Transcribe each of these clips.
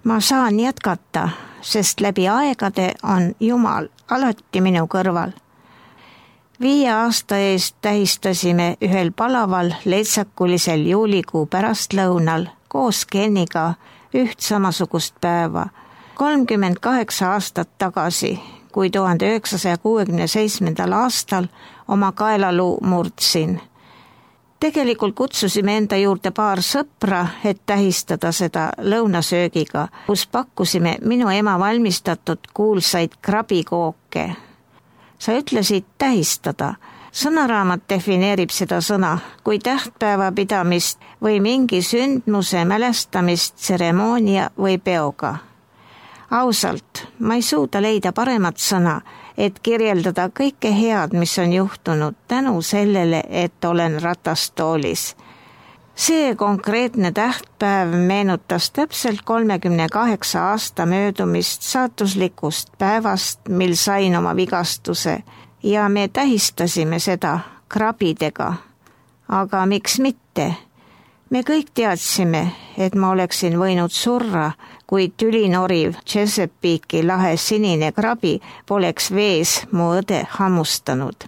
Ma saan jätkata, sest läbi aegade on Jumal alati minu kõrval. 5 aasta eest tähistasime ühel palaval leitsakulisel juulikuu pärastlõunal koos Kenniga üht samasugust päeva. 38 aastat tagasi, kui 1967. aastal oma kaelaluu murdsin. Tegelikult kutsusime enda juurde paar sõpra, et tähistada seda lõunasöögiga, kus pakkusime minu ema valmistatud kuulsaid krabikooke. Sa ütlesid tähistada. Sõnaraamat defineerib seda sõna kui tähtpäeva pidamist või mingi sündmuse mälestamist tseremoonia või peoga. Ausalt, ma ei suuda leida paremat sõna, et kirjeldada kõike head, mis on juhtunud tänu sellele, et olen ratastoolis. See konkreetne tähtpäev meenutas täpselt 38 aasta möödumist saatuslikust päevast, mil sain oma vigastuse ja me tähistasime seda krabidega. Aga miks mitte? Me kõik teadsime, et ma oleksin võinud surra, kui tülinoriv Chesapeake'i lahe sinine krabi poleks vees mu õde hammustanud.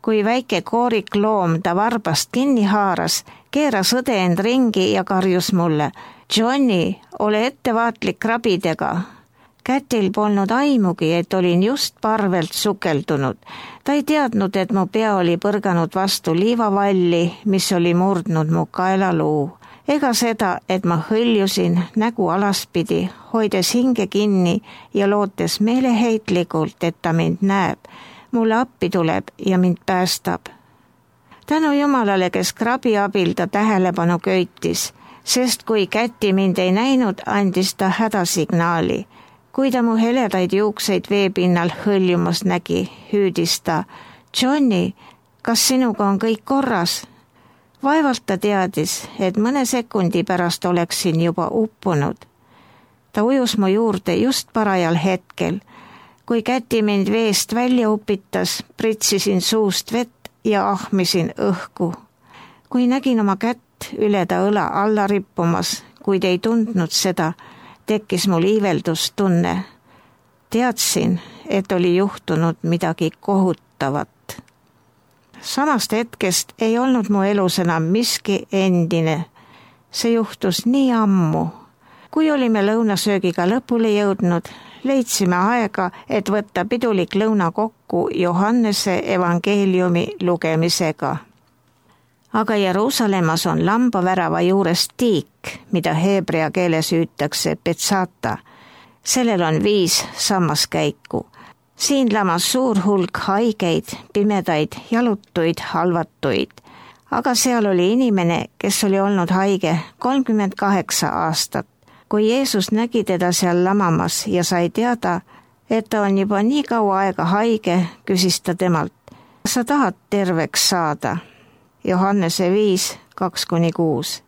Kui väike koorik loom ta varbast kinni haaras, keeras õde end ringi ja karjus mulle: Johnny, ole ettevaatlik krabidega. Kätil polnud aimugi, et olin just parvelt sukeldunud. Ta ei teadnud, et mu pea oli põrganud vastu liivavalli, mis oli murdnud mu kaelaluu. Ega seda, et ma hõljusin nägu alaspidi, hoides hinge kinni ja lootes meeleheitlikult, et ta mind näeb. Mulle appi tuleb ja mind päästab. Tänu Jumalale, kes krabi abil ta tähelepanu köitis, sest kui Käti mind ei näinud, andis ta hädasignaali. Kui ta mu heledaid juukseid veepinnal hõljumas nägi, hüüdis ta: Johnny, kas sinuga on kõik korras? Vaevalt ta teadis, et mõne sekundi pärast oleksin juba uppunud. Ta ujus mu juurde just parajal hetkel. Kui Käti mind veest välja upitas, pritsisin suust vett ja ahmisin õhku. Kui nägin oma kätt üle ta õla alla rippumas, kuid ei tundnud seda, tekkis mul iiveldustunne. Teadsin, et oli juhtunud midagi kohutavat. Samast hetkest ei olnud mu elus enam miski endine. See juhtus nii ammu. Kui olime lõunasöögiga lõpule jõudnud, leidsime aega, et võtta pidulik lõuna kokku Johannese evangeeliumi lugemisega. Aga Jeruusalemmas on lambavärava juures tiik, mida heebrea keeles hüütakse Betsata. Sellel on 5 sammaskäiku. Siin lamas suur hulk haigeid, pimedaid, jalutuid, halvatuid. Aga seal oli inimene, kes oli olnud haige 38 aastat. Kui Jeesus nägi teda seal lamamas ja sai teada, et ta on juba nii kaua aega haige, küsis ta temalt: sa tahad terveks saada? Johannese 5, 2-6.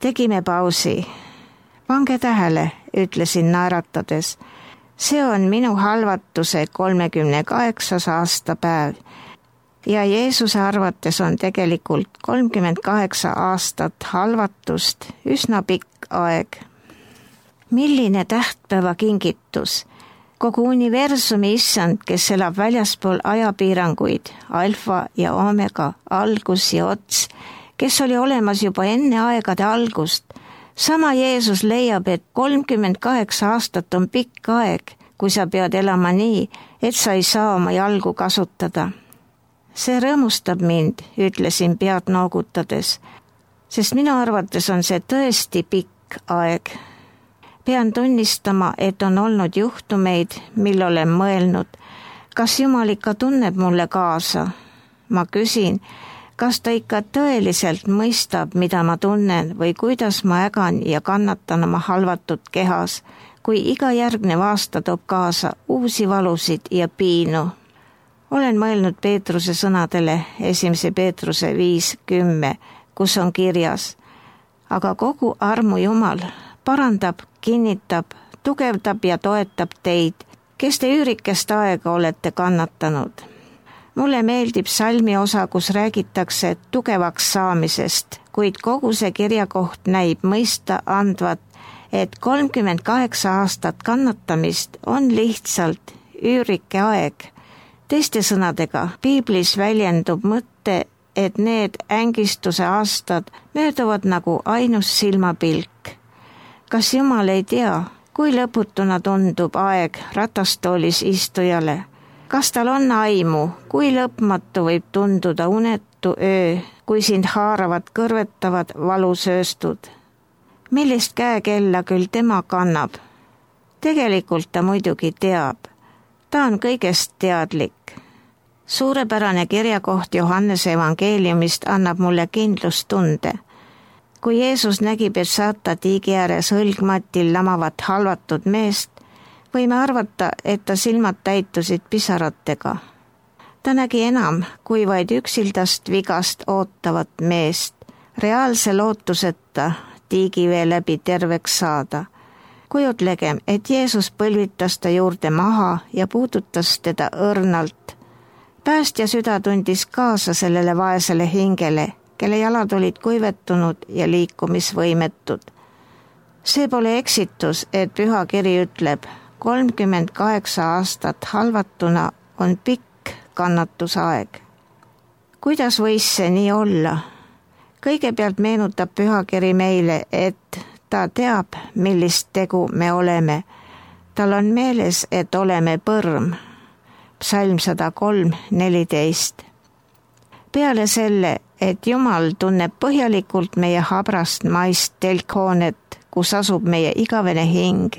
Tegime pausi. Pange tähele, ütlesin naeratades. See on minu halvatuse 38. aastapäev ja Jeesuse arvates on tegelikult 38 aastat halvatust üsna pikk aeg. Milline tähtpäeva kingitus! Kogu universumi issand, kes elab väljaspool ajapiiranguid, alfa ja omega, algus ja ots, kes oli olemas juba enne aegade algust. Sama Jeesus leiab, et 38 aastat on pikk aeg, kui sa pead elama nii, et sa ei saa oma jalgu kasutada. See rõõmustab mind, ütlesin pead noogutades, sest minu arvates on see tõesti pikk aeg. Pean tunnistama, et on olnud juhtumeid, mil olen mõelnud, kas Jumal ikka tunneb mulle kaasa. Ma küsin, kas ta ikka tõeliselt mõistab, mida ma tunnen või kuidas ma ägan ja kannatan oma halvatud kehas, kui iga järgnev aasta toob kaasa uusi valusid ja piinu. Olen mõelnud Peetruse sõnadele 1. Peetruse 5:10, kus on kirjas: aga kogu armu Jumal parandab, kinnitab, tugevdab ja toetab teid, kes te üürikest aega olete kannatanud. Mulle meeldib salmi osa, kus räägitakse tugevaks saamisest, kuid kogu see kirjakoht näib mõista andvat, et 38 aastat kannatamist on lihtsalt üürike aeg. Teiste sõnadega, piiblis väljendub mõte, et need ängistuse aastad mööduvad nagu ainus silmapilk. Kas Jumal ei tea, kui lõputuna tundub aeg ratastoolis istujale? Kas tal on aimu, kui lõpmatu võib tunduda unetu öö, kui sind haaravad kõrvetavad valusööstud? Millist käekella küll tema kannab? Tegelikult ta muidugi teab. Ta on kõigest teadlik. Suurepärane kirjakoht Johannese evangeeliumist annab mulle kindlustunde. Kui Jeesus nägi Betsata tiigi ääres õlgmatil lamavat halvatud meest, võime arvata, et ta silmad täitusid pisaratega. Ta nägi enam kui vaid üksildast vigast ootavat meest, reaalse lootuseta tiigivee läbi terveks saada. Kujutlegem, et Jeesus põlvitas ta juurde maha ja puudutas teda õrnalt. Päästja süda tundis kaasa sellele vaesele hingele, kelle jalad olid kuivetunud ja liikumisvõimetud. See pole eksitus, et pühakiri ütleb, 38 aastat halvatuna on pikk kannatusaeg. Kuidas võis see nii olla? Kõigepealt meenutab pühakiri meile, et ta teab, millist tegu me oleme. Tal on meeles, et oleme põrm. Psalm 103:14. Peale selle, et Jumal tunneb põhjalikult meie habrast maist telkhoonet, kus asub meie igavene hing,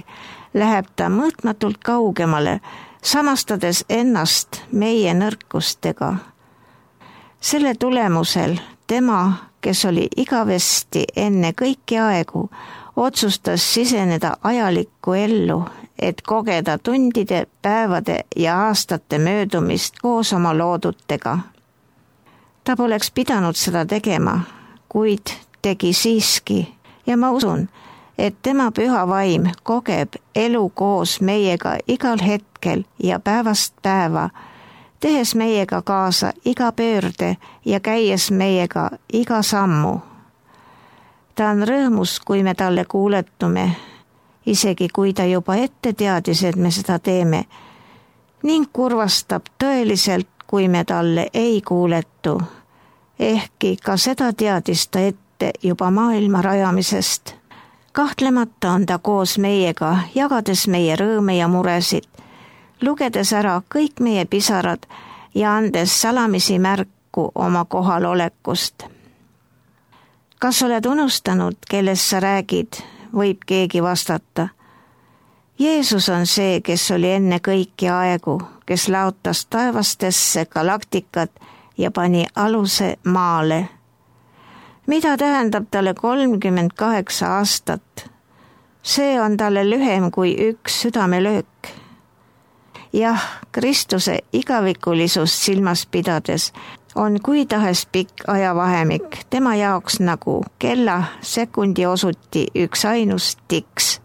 läheb ta mõõtmatult kaugemale, samastades ennast meie nõrkustega. Selle tulemusel tema, kes oli igavesti enne kõiki aegu, otsustas siseneda ajalikku ellu, et kogeda tundide, päevade ja aastate möödumist koos oma loodutega. Ta poleks pidanud seda tegema, kuid tegi siiski ja ma usun, et tema püha vaim kogeb elu koos meiega igal hetkel ja päevast päeva, tehes meiega kaasa iga pöörde ja käies meiega iga sammu. Ta on rõõmus, kui me talle kuuletume, isegi kui ta juba ette teadis, et me seda teeme, ning kurvastab tõeliselt, kui me talle ei kuuletu, ehkki ka seda teadis ta ette juba maailma rajamisest. Kahtlemata on ta koos meiega, jagades meie rõõme ja muresid, lugedes ära kõik meie pisarad ja andes salamisi märku oma kohalolekust. Kas oled unustanud, kellest sa räägid, võib keegi vastata. Jeesus on see, kes oli enne kõiki aegu, kes laotas taevastesse galaktikat ja pani aluse maale. Mida tähendab talle 38 aastat? See on talle lühem kui üks südamelöök. Jah, Kristuse igavikulisust silmas pidades on kui tahes pikk ajavahemik tema jaoks nagu kella sekundi osuti üks ainus tiks.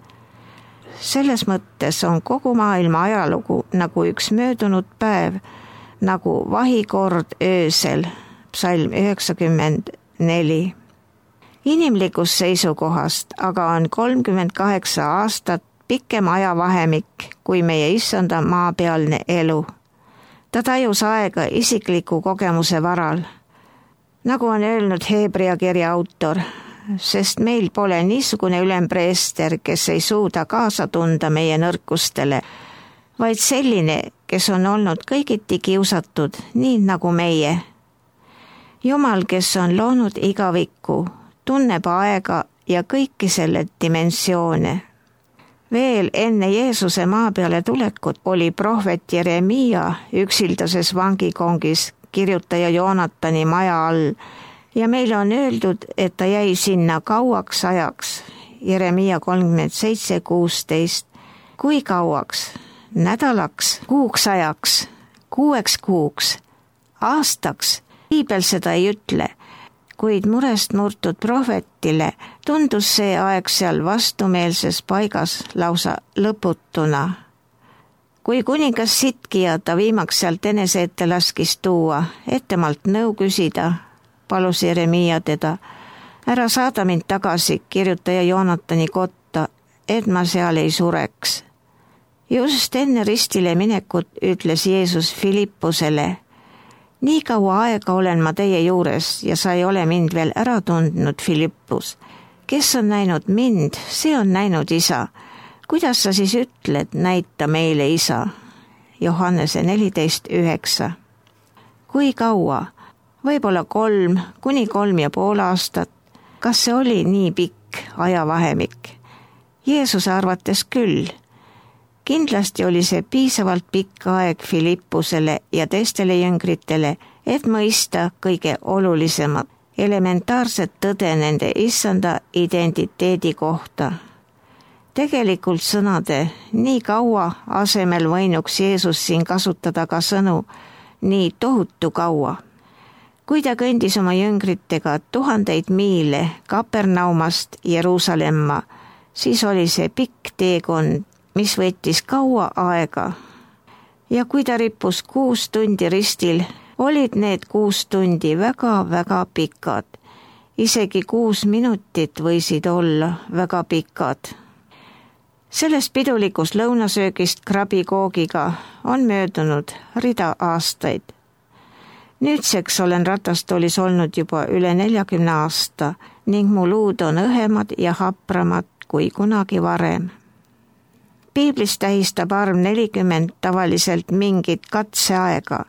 Selles mõttes on kogu maailma ajalugu nagu üks möödunud päev, nagu vahikord öösel, psalm 90:4. Inimlikust seisukohast aga on 38 aastat pikem ajavahemik kui meie issanda maapealne elu. Ta tajus aega isikliku kogemuse varal, nagu on öelnud Hebra kirja autor, sest meil pole niisugune ülempreester, kes ei suuda kaasa tunda meie nõrkustele, vaid selline, kes on olnud kõigiti kiusatud, nii nagu meie. Jumal, kes on loonud igavikku, tunneb aega ja kõiki selle dimensioone. Veel enne Jeesuse maa peale tulekut oli prohvet Jeremiia üksildases vangikongis kirjutaja Joonatani maja all ja meile on öeldud, et ta jäi sinna kauaks ajaks, Jeremiia 37:16. Kui kauaks? Nädalaks, kuuks ajaks, 6 kuuks, aastaks? Piibel seda ei ütle, kuid murest murtud prohvetile tundus see aeg seal vastumeelses paigas lausa lõputuna. Kui kuningas Sitkija ta viimaks sealt enese ette laskis tuua, temalt nõu küsida, palus Jeremiia teda, ära saada mind tagasi kirjutaja Joonatani kotta, et ma seal ei sureks. Just enne ristile minekut ütles Jeesus Filippusele: nii kaua aega olen ma teie juures ja sa ei ole mind veel ära tundnud, Filippus. Kes on näinud mind, see on näinud Isa. Kuidas sa siis ütled, näita meile Isa? Johannese 14:9. Kui kaua? Võib-olla 3 kuni 3,5 aastat. Kas see oli nii pikk ajavahemik? Jeesuse arvates küll. Kindlasti oli see piisavalt pikk aeg Filippusele ja teistele jüngritele, et mõista kõige olulisemat, elementaarset tõde nende issanda identiteedi kohta. Tegelikult sõnade nii kaua asemel võinuks Jeesus siin kasutada ka sõnu nii tohutu kaua. Kui ta kõndis oma jüngritega 1000 miile Kapernaumast Jeruusalemma, siis oli see pikk teekond, mis võttis kaua aega. Ja kui ta rippus 6 tundi ristil, olid need 6 tundi väga-väga pikad. Isegi 6 minutit võisid olla väga pikad. Sellest pidulikust lõunasöögist krabikoogiga on möödunud rida aastaid. Nüüdseks olen ratastoolis olnud juba üle 40 aasta ning mu luud on õhemad ja hapramad kui kunagi varem. Piiblis tähistab arv 40 tavaliselt mingit katseaega.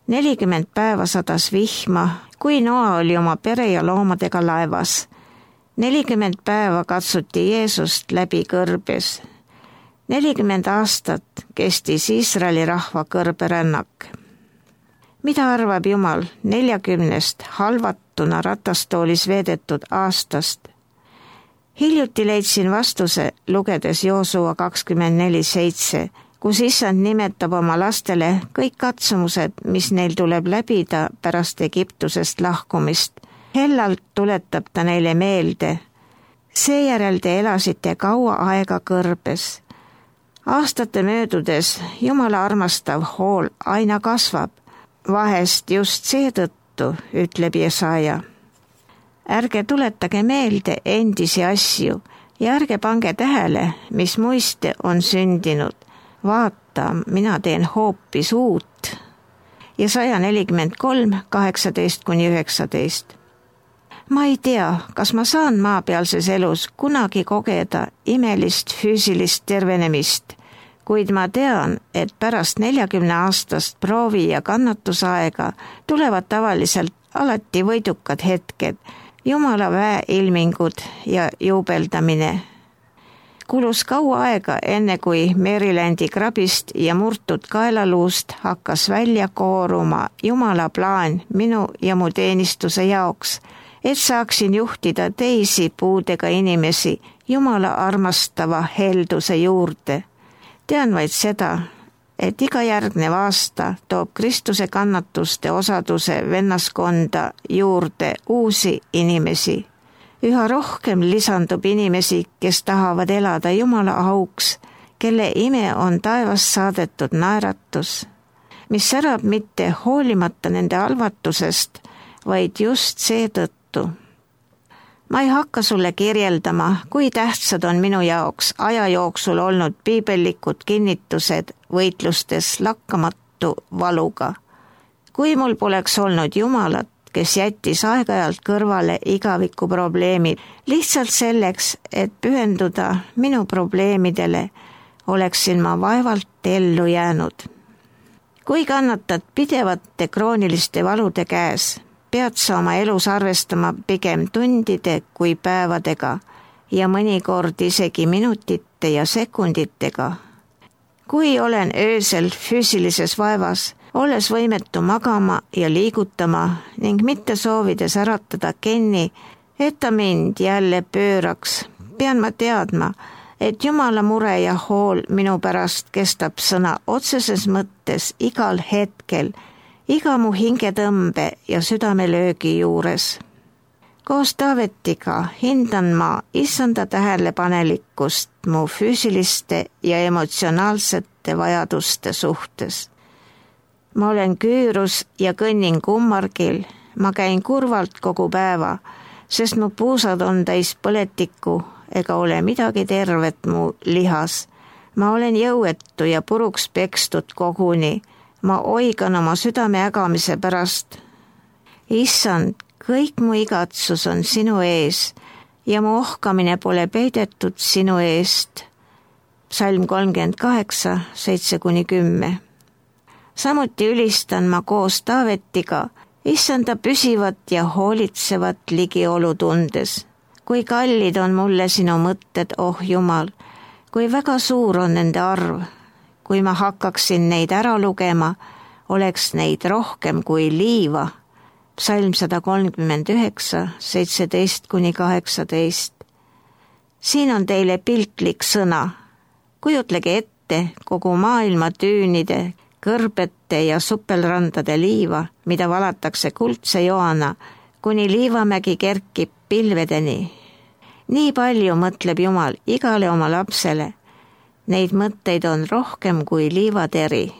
40 päeva sadas vihma, kui Noa oli oma pere ja loomadega laevas. 40 päeva katsuti Jeesust läbi kõrbes. 40 aastat kestis Iisraeli rahva kõrberännak. Mida arvab Jumal 40 halvatuna ratastoolis veedetud aastast? Hiljuti leidsin vastuse, lugedes Joosua 24:7, kus issand nimetab oma lastele kõik katsumused, mis neil tuleb läbida pärast Egiptusest lahkumist. Hellalt tuletab ta neile meelde: seejärel te elasite kaua aega kõrbes. Aastate möödudes Jumala armastav hool aina kasvab, vahest just seetõttu, ütleb Jesaja. Ärge tuletage meelde endisi asju ja ärge pange tähele, mis muiste on sündinud. Vaata, mina teen hoopis uut. Jesaja 43:18-19. Ma ei tea, kas ma saan maapealses elus kunagi kogeda imelist füüsilist tervenemist, kuid ma tean, et pärast 40 aastast proovi ja kannatusaega tulevad tavaliselt alati võidukad hetked, Jumala väe ilmingud ja juubeldamine. Kulus kaua aega, enne kui Marylandi krabist ja murtud kaelaluust hakkas välja kooruma Jumala plaan minu ja mu teenistuse jaoks, et saaksin juhtida teisi puudega inimesi Jumala armastava helduse juurde. Tean vaid seda, et iga järgnev aasta toob Kristuse kannatuste osaduse vennaskonda juurde uusi inimesi. Üha rohkem lisandub inimesi, kes tahavad elada Jumala auks, kelle ime on taevast saadetud naeratus, mis särab mitte hoolimata nende halvatusest, vaid just seetõttu. Ma ei hakka sulle kirjeldama, kui tähtsad on minu jaoks aja jooksul olnud piibellikud kinnitused võitlustes lakkamatu valuga. Kui mul poleks olnud Jumalat, kes jättis aeg-ajalt kõrvale igaviku probleemid, lihtsalt selleks, et pühenduda minu probleemidele, oleksin ma vaevalt ellu jäänud. Kui kannatad pidevate krooniliste valude käes, pead sa oma elus arvestama pigem tundide kui päevadega ja mõnikord isegi minutite ja sekunditega. Kui olen öösel füüsilises vaevas, olles võimetu magama ja liigutama ning mitte soovides äratada Kenni, et ta mind jälle pööraks, pean ma teadma, et Jumala mure ja hool minu pärast kestab sõna otseses mõttes igal hetkel, iga mu hingetõmbe ja südamelöögi juures. Koos Taavetiga hindan ma issanda tähelepanelikkust mu füüsiliste ja emotsionaalsete vajaduste suhtes. Ma olen küürus ja kõnnin kummargil, ma käin kurvalt kogu päeva, sest mu puusad on täis põletikku, ega ole midagi tervet mu lihas. Ma olen jõuetu ja puruks pekstud koguni. Ma oigan oma südame ägamise pärast. Issand, kõik mu igatsus on sinu ees ja mu ohkamine pole peidetud sinu eest. Psalm 38, 7-10. Samuti ülistan ma koos Taavetiga Issanda püsivat ja hoolitsevat ligiolu tundes. Kui kallid on mulle sinu mõtted, oh Jumal, kui väga suur on nende arv. Kui ma hakkaksin neid ära lugema, oleks neid rohkem kui liiva. Psalm 139, 17-18. Siin on teile piltlik sõna. Kujutlege ette kogu maailma tüünide, kõrbete ja suppelrandade liiva, mida valatakse kuldse joana, kuni liivamägi kerkib pilvedeni. Nii palju mõtleb Jumal igale oma lapsele. Neid mõtteid on rohkem kui liivateri.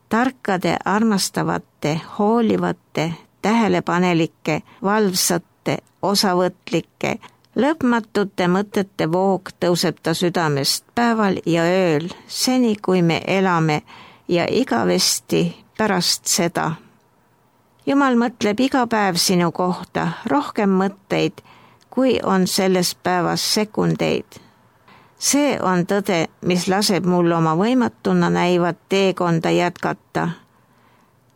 Tarkade, armastavate, hoolivate, tähelepanelike, valvsate, osavõtlike, lõpmatute mõtete voog tõuseb ta südamest päeval ja ööl, seni kui me elame ja igavesti pärast seda. Jumal mõtleb iga päev sinu kohta rohkem mõtteid, kui on selles päevas sekundeid. See on tõde, mis laseb mul oma võimatuna näivat teekonda jätkata.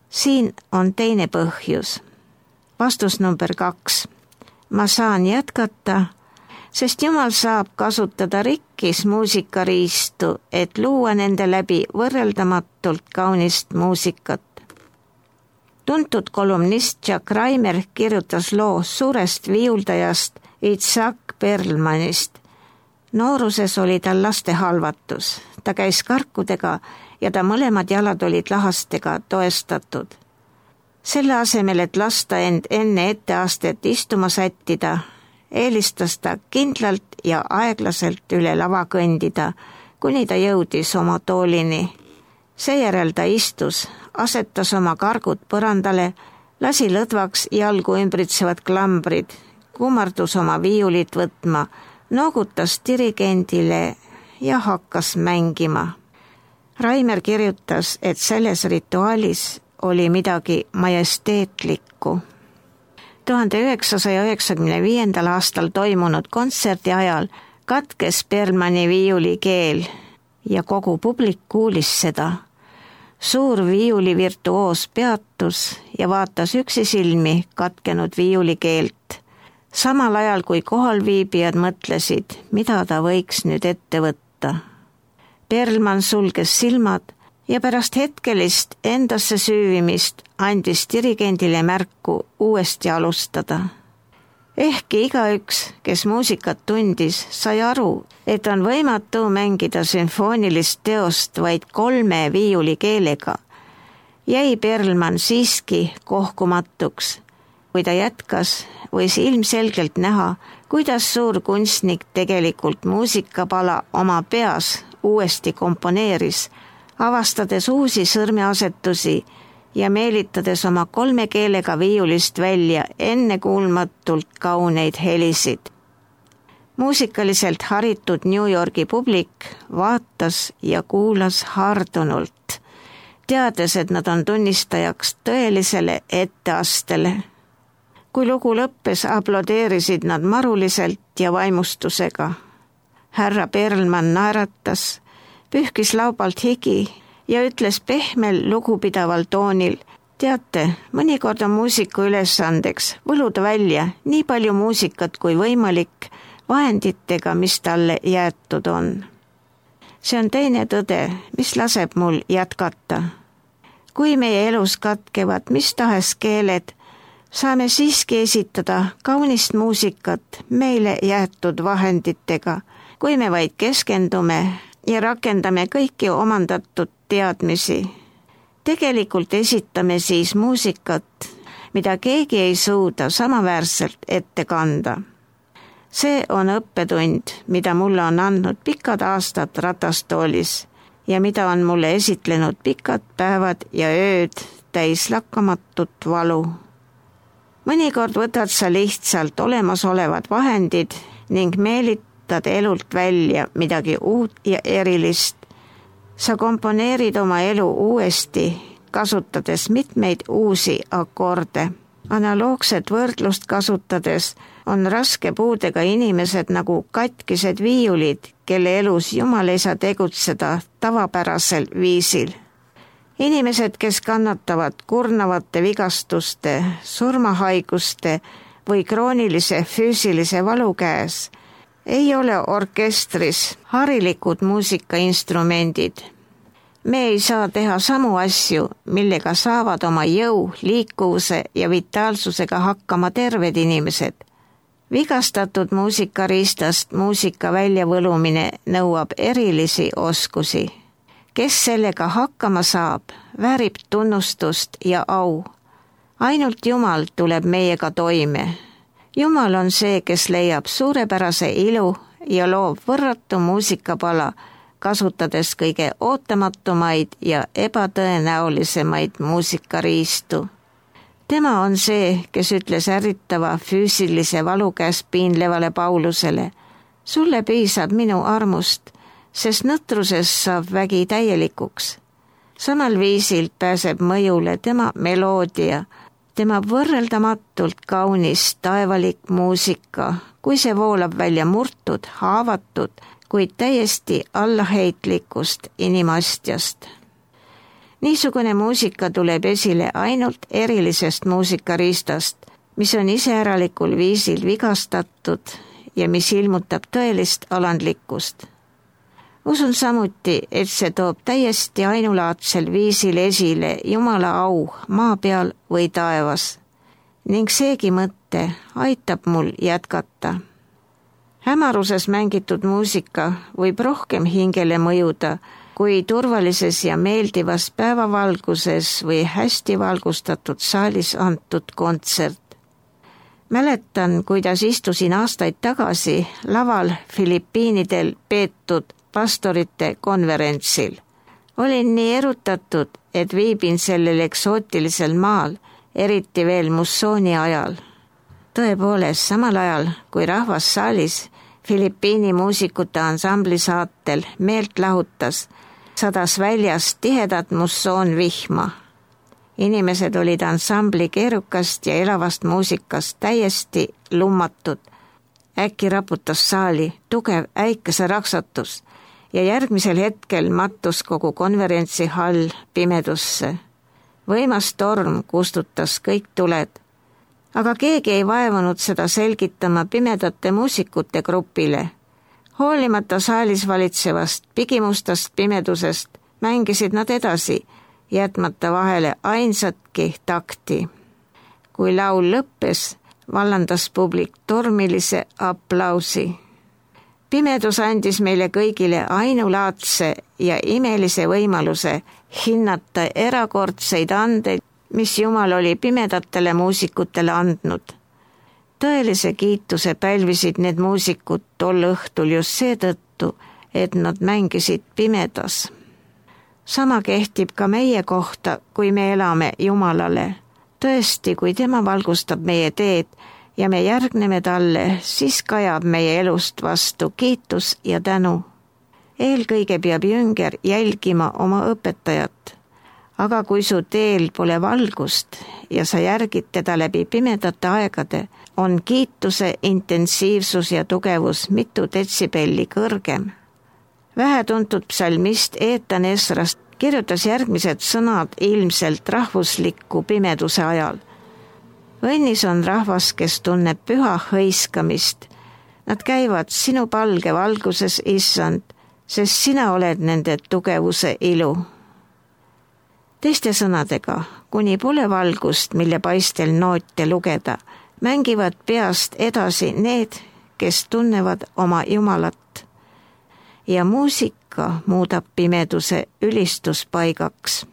Siin on teine põhjus. Vastus number 2. Ma saan jätkata, sest Jumal saab kasutada rikkis muusikariistu, et luua nende läbi võrreldamatult kaunist muusikat. Tuntud kolumnist Jack Raimer kirjutas loo suurest viiuldajast Itzhak Perlmanist. Nooruses oli tal lastehalvatus. Ta käis karkudega ja ta mõlemad jalad olid lahastega toestatud. Selle asemel, et lasta end enne etteastet istuma sättida, eelistas ta kindlalt ja aeglaselt üle lava kõndida, kuni ta jõudis oma toolini. Seejärel ta istus, asetas oma kargud põrandale, lasi lõdvaks jalgu ümbritsevad klambrid, kummardus oma viiulit võtma, noogutas dirigendile ja hakkas mängima. Raimer kirjutas, et selles rituaalis oli midagi majesteetlikku. 1995. aastal toimunud kontserdi ajal katkes Perlmani viiulikeel ja kogu publik kuulis seda. Suur viiulivirtuoos peatus ja vaatas üksisilmi katkenud viiulikeelt. Samal ajal kui kohalviibijad mõtlesid, mida ta võiks nüüd ette võtta. Perlman sulges silmad ja pärast hetkelist endasse süüvimist andis dirigendile märku uuesti alustada. Ehkki igaüks, kes muusikat tundis, sai aru, et on võimatu mängida sümfoonilist teost vaid 3 viiulikeelega, jäi Perlman siiski kohkumatuks. Kui ta jätkas, võis ilmselgelt näha, kuidas suur kunstnik tegelikult muusikapala oma peas uuesti komponeeris, avastades uusi sõrmeasetusi ja meelitades oma 3 keelega viiulist välja ennekuulmatult kauneid helisid. Muusikaliselt haritud New Yorgi publik vaatas ja kuulas hardunult, teades, et nad on tunnistajaks tõelisele etteastele. Kui lugu lõppes, aplodeerisid nad maruliselt ja vaimustusega. Härra Perlman naeratas, pühkis laubalt higi ja ütles pehmel lugupidaval toonil, teate, mõnikord on muusiku ülesandeks võluda välja nii palju muusikat kui võimalik vahenditega, mis talle jäetud on. See on teine tõde, mis laseb mul jätkata. Kui meie elus katkevad mis tahes keeled, saame siiski esitada kaunist muusikat meile jäetud vahenditega, kui me vaid keskendume ja rakendame kõiki omandatud teadmisi. Tegelikult esitame siis muusikat, mida keegi ei suuda samaväärselt ette kanda. See on õppetund, mida mulle on andnud pikad aastad ratastoolis ja mida on mulle esitlenud pikad päevad ja ööd täis lakkamatut valu. Mõnikord võtad sa lihtsalt olemasolevad vahendid ning kasvatad elult välja midagi uut ja erilist. Sa komponeerid oma elu uuesti, kasutades mitmeid uusi akorde. Analoogset võrdlust kasutades on raske puudega inimesed nagu katkised viiulid, kelle elus Jumal ei saa tegutseda tavapärasel viisil. Inimesed, kes kannatavad kurnavate vigastuste, surmahaiguste või kroonilise füüsilise valu käes, ei ole orkestris harilikud muusikainstrumendid. Me ei saa teha samu asju, millega saavad oma jõu, liikuvuse ja vitaalsusega hakkama terved inimesed. Vigastatud muusikariistast muusika väljavõlumine nõuab erilisi oskusi. Kes sellega hakkama saab, väärib tunnustust ja au. Ainult Jumal tuleb meiega toime. Jumal on see, kes leiab suurepärase ilu ja loob võrratu muusikapala, kasutades kõige ootamatumaid ja ebatõenäolisemaid muusikariistu. Tema on see, kes ütles ärritava füüsilise valu käes piinlevale Paulusele: sulle piisab minu armust, sest nõtruses saab vägi täielikuks. Samal viisil pääseb mõjule tema meloodia, tema võrreldamatult kaunis taevalik muusika, kui see voolab välja murtud, haavatud, kuid täiesti allaheitlikust inimastjast. Niisugune muusika tuleb esile ainult erilisest muusikariistast, mis on iseäralikul viisil vigastatud ja mis ilmutab tõelist alandlikkust. Usun samuti, et see toob täiesti ainulaadsel viisil esile Jumala au maa peal või taevas, ning seegi mõte aitab mul jätkata. Hämaruses mängitud muusika võib rohkem hingele mõjuda kui turvalises ja meeldivas päevavalguses või hästi valgustatud saalis antud kontsert. Mäletan, kuidas istusin aastaid tagasi laval Filipiinidel peetud pastorite konverentsil. Olin nii erutatud, et viibin sellel eksootilisel maal, eriti veel mussooni ajal. Tõepoolest, samal ajal, kui rahvas saalis Filipiini muusikute ansambli saatel meelt lahutas, sadas väljas tihedat mussoonvihma. Inimesed olid ansambli keerukast ja elavast muusikast täiesti lummatud. Äkki raputas saali tugev äikeseraksatus ja järgmisel hetkel mattus kogu konverentsihall pimedusse. Võimas torm kustutas kõik tuled. Aga keegi ei vaevunud seda selgitama pimedate muusikute grupile. Hoolimata saalis valitsevast pigimustast pimedusest mängisid nad edasi, jätmata vahele ainsatki takti. Kui laul lõppes, vallandas publik tormilise aplausi. Pimedus andis meile kõigile ainulaadse ja imelise võimaluse hinnata erakordseid andeid, mis Jumal oli pimedatele muusikutele andnud. Tõelise kiituse pälvisid need muusikud tol õhtul just seetõttu, et nad mängisid pimedas. Sama kehtib ka meie kohta, kui me elame Jumalale. Tõesti, kui tema valgustab meie teed ja me järgneme talle, siis kajab meie elust vastu kiitus ja tänu. Eelkõige peab jünger jälgima oma õpetajat. Aga kui su teel pole valgust ja sa järgid teda läbi pimedate aegade, on kiituse intensiivsus ja tugevus mitu detsibelli kõrgem. Vähetuntud psalmist Eetan Esrast kirjutas järgmised sõnad ilmselt rahvusliku pimeduse ajal. Õnnis on rahvas, kes tunneb püha hõiskamist. Nad käivad sinu palge valguses, Issand, sest sina oled nende tugevuse ilu. Teiste sõnadega, kuni pole valgust, mille paistel noote lugeda, mängivad peast edasi need, kes tunnevad oma Jumalat. Ja muusika muudab pimeduse ülistuspaigaks.